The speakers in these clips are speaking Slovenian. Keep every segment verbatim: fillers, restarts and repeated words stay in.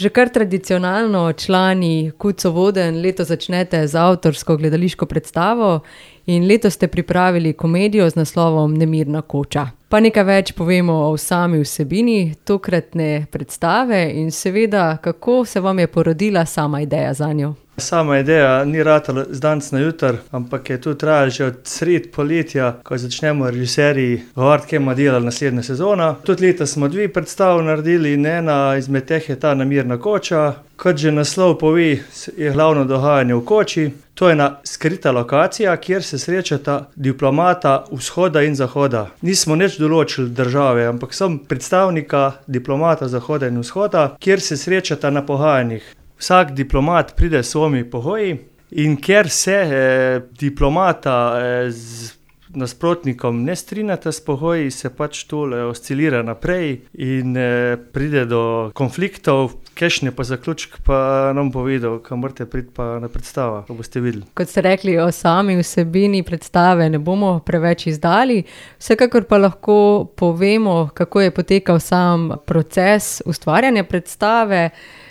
Že kar tradicionalno člani Kuco Voden leto začnete z avtorsko gledališko predstavo in letos ste pripravili komedijo z naslovom Nemirna koča. Pa nekaj več povemo o sami vsebini tokratne predstave in seveda, kako se vam je porodila sama ideja zanjo. Sama ideja ni ratala z danes na jutr, ampak je tu trajala že od sred poletja, ko začnemo režiserji govoriti, kaj bomo delali naslednja sezona. Tudi leta smo dve predstav naredili in ena izmed teh je ta Nemirna koča. Kot že naslov pove, je glavno dogajanje v koči. To je ena skrita lokacija, kjer se srečata diplomata vzhoda in zahoda. Nismo nič določili države, ampak sem predstavnika diplomata zahoda in vzhoda, kjer se srečata na pogajanjih. Vsak diplomat pride s svojimi pogoji in ker se eh, diplomata eh, z nasprotnikom ne strinjata s pogoji, se pač tole oscilira naprej in eh, pride do konfliktov, kakšen je pa zaključek, pa nam povedal, kam morate priti pa na predstava, ko boste videli. Kot ste rekli, o sami vsebini predstave ne bomo preveč izdali, vsekakor pa lahko povemo, kako je potekal sam proces ustvarjanja predstave,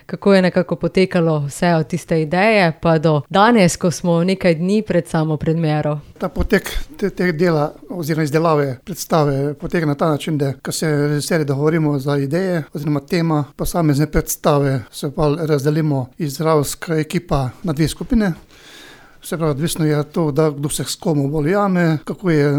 kako je nekako potekalo vse od tiste ideje, pa do danes, ko smo nekaj dni pred samo premiero. Ta potek teh te dela oziroma izdelave predstave poteka na ta način, da ko se režiserji dogovorimo za ideje oziroma tema posamezne predstave, se pa razdelimo igralska ekipa na dve skupine. Vse pravi, odvisno je to, da kdo se s komu bolj jame, kako je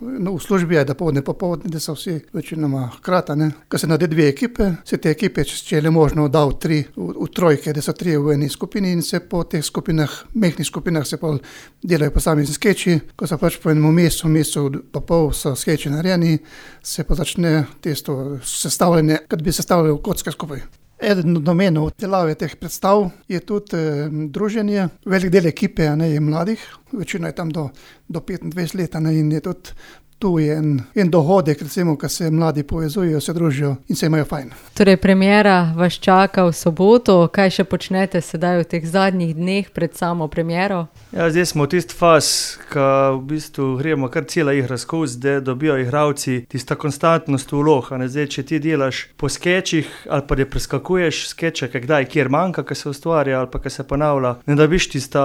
no, v službi, je da povdne popovdne, da so vsi večinoma hkrata. Ne. Ko se naredi dve ekipe, se te ekipe, če je le možno, da v tri, v, v trojke, da so tri v eni skupini in se po teh skupinah, mehnih skupinah se pa delajo posamezni skeči. Ko so pač po enem mesecu, mesecu pa pol so skeči narejeni, se pa začne testo sestavljanje, kad bi sestavljali kocke skupaj. Eden od namenov delave teh predstav je tudi eh, druženje. Velik del ekipe ne, je mladih, večino je tam do, do petindvajset let ne, in je tudi tu je en, en dohodek, recimo, ko se mladi povezujejo, se družijo in se imajo fajn. Torej, premiera vas čaka v soboto. Kaj še počnete sedaj v teh zadnjih dneh pred samo premiero? Ja, zdaj smo v tisti faz, ko v bistvu gremo kar cela igra skozi, da dobijo igralci tista konstantnost vlog. Zdaj, če ti delaš po skečih ali pa da preskakuješ skeče, kdaj kjer manjka, ko se ustvarja ali pa ko se ponavlja, ne dobiš tista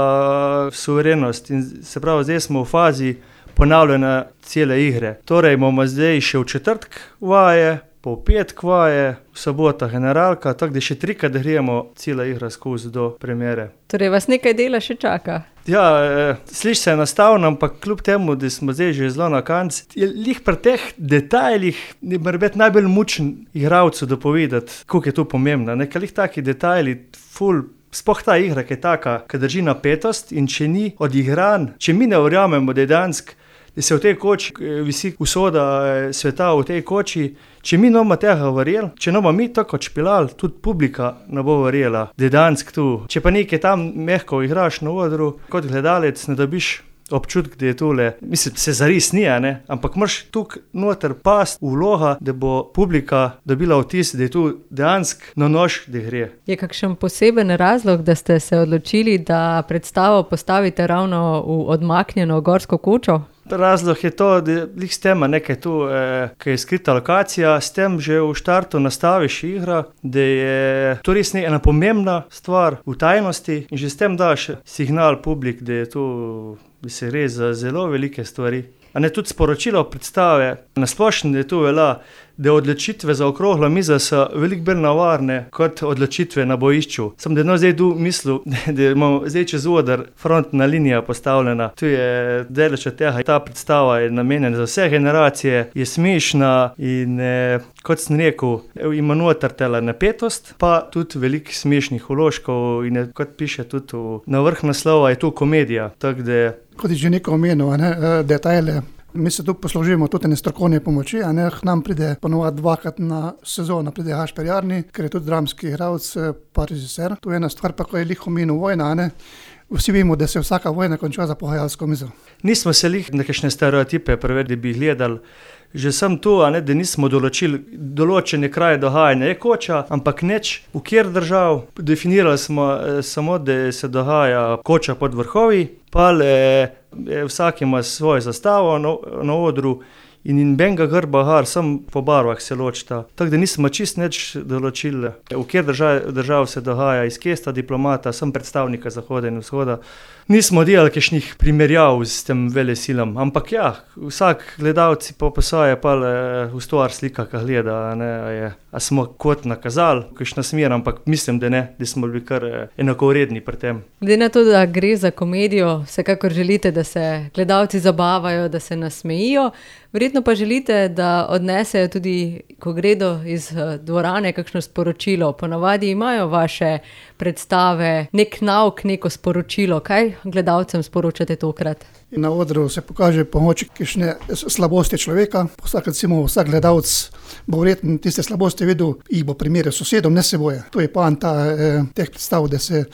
suverenost. In se pravi, zdaj smo v fazi ponavljanja cele igre. Torej bomo zdaj še v četrtek vaje, po petk vaje, v sobota generalka, tako da še trikrat gremo cela igra skozi do premiere. Torej vas nekaj dela še čaka? Ja, eh, sliši se enostavno, ampak kljub temu, da smo zdaj že zelo na koncu, je lih pri teh detajlih mora biti najbolj mučen igralcu dopovedati, koliko je to pomembno. Nekaj lih taki detajli, ful, sploh ta igra, ki je taka, ki drži napetost in če ni odigran, če mi ne verjamemo, da je dansk, da se v tej koči visi usoda sveta v tej koči, če mi ne bomo tega verjeli, če ne bomo mi tako odšpilali, tudi publika ne bo verjela, da je dansk tu. Če pa nekaj tam mehko igraš na odru, kot gledalec ne dobiš občutek, da je tole, mislim, se zares ni, ne? Ampak moraš tukaj noter past vloga, da bo publika dobila vtis, da je tu dejansk na nož, da gre. Je kakšen poseben razlog, da ste se odločili, da predstavo postavite ravno v odmaknjeno gorsko kočo? Razlog je to, da lih s tem nekaj tu, eh, ki je skrita lokacija, s tem že v štartu nastaviš igra, da je to res ena pomembna stvar v tajnosti in že s tem daš signal publik, da je tu, da se gre za zelo velike stvari. A ne tudi sporočilo predstave, nasplošno je tu velja, da odločitve za okroglo mizo so veliko bolj navarne kot odločitve na bojišču. Sem da no zdaj tu mislil, da imamo zdaj čez oder frontna linija postavljena. Tu je deleč od tega, ta predstava je namenjena za vse generacije, je smešna in eh, kot sem rekel, ima noter tela napetost, pa tudi veliko smešnih vložkov in je, kot piše tudi v, na vrh naslova, je tu komedija. Tak, da kot je že neko omenil, ne, detajle. Mi se tu poslužimo tudi ene strokovne pomoči, a ne, k nam pride ponovadi dvakrat na sezono, pride Gašper Jarni, ker je tudi dramski igralec, pa režiser. Tu je ena stvar, pa ko je lih omenil vojna, a ne. Vsi vemo, da se vsaka vojna konča za pogajalsko mizo. Nismo se lih nekakšne stereotipe prevedli, bi gledali. Že sem tu, a ne, da nismo določili določene kraje dogajanja. Je koča, ampak neč v kjer držav. Definirali smo eh, samo, da se dogaja koča pod vrhovi, pa le eh, vsak ima svojo zastavo na, na odru in in benga grba har, sam po barvah se ločita. Tako da nismo čist nič določili, v kjer držav, držav se dogaja, iz kje sta diplomata, sem predstavnika Zahoda in Vzhoda. Nismo delali kakšnih primerjav s tem velesilom, ampak ja, vsak gledalci pa posaja pa v stvar slika, ka gleda, a ne, a, je, a smo kot nakazali, kakšna smer, ampak mislim, da ne, da smo bili kar enakovredni pri tem. Glede na to, da gre za komedijo, vsekakor želite, da se gledalci zabavajo, da se nasmejijo, verjetno pa želite, da odnesejo tudi, ko gredo iz dvorane, kakšno sporočilo. Ponavadi imajo vaše predstave nek nauk, neko sporočilo. Kaj gledalcem sporočate tokrat? Na odru se pokaže pomoč kakšne slabosti človeka. Vsak, recimo, vsak gledalec bo verjetno tiste slabosti videl, jih bo primerjal s sosedom, ne seboje. To je poanta eh, teh predstav, da se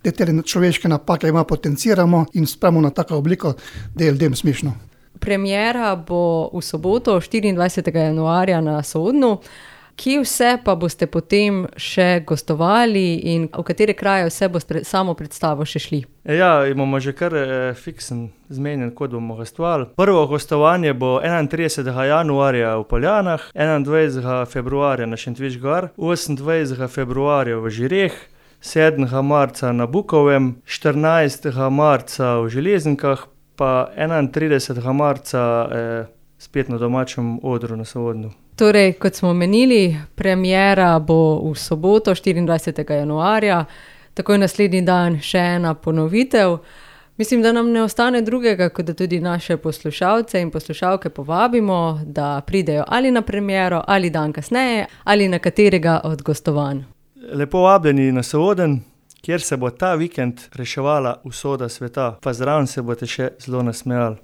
te človeške napake ima potenciramo in spravimo na tako obliko, da je ljudem smešno. Premiera bo v soboto, štiriindvajsetega januarja na Sodnu. Kje vse pa boste potem še gostovali in v katere kraje vse boste samo predstavo še šli? Ja, imamo že kar eh, fiksen zmenjen, kot bomo gostovali. Prvo gostovanje bo enaintridesetega januarja v Poljanah, enaindvajsetega februarja na Šentviški gor, osemindvajsetega februarja v Žireh, sedmega marca na Bukovem, štirinajstega marca v Železnikah, pa enaintridesetega marca eh, spet na domačem odru na Sodnu. Torej, kot smo omenili, premiera bo v soboto, štiriindvajsetega januarja, takoj naslednji dan še ena ponovitev. Mislim, da nam ne ostane drugega, kot da tudi naše poslušalce in poslušalke povabimo, da pridejo ali na premiero, ali dan kasneje, ali na katerega od gostovanj. Lepo vabljeni na Soden, kjer se bo ta vikend reševala usoda sveta, pa zraven se boste še zelo nasmejali.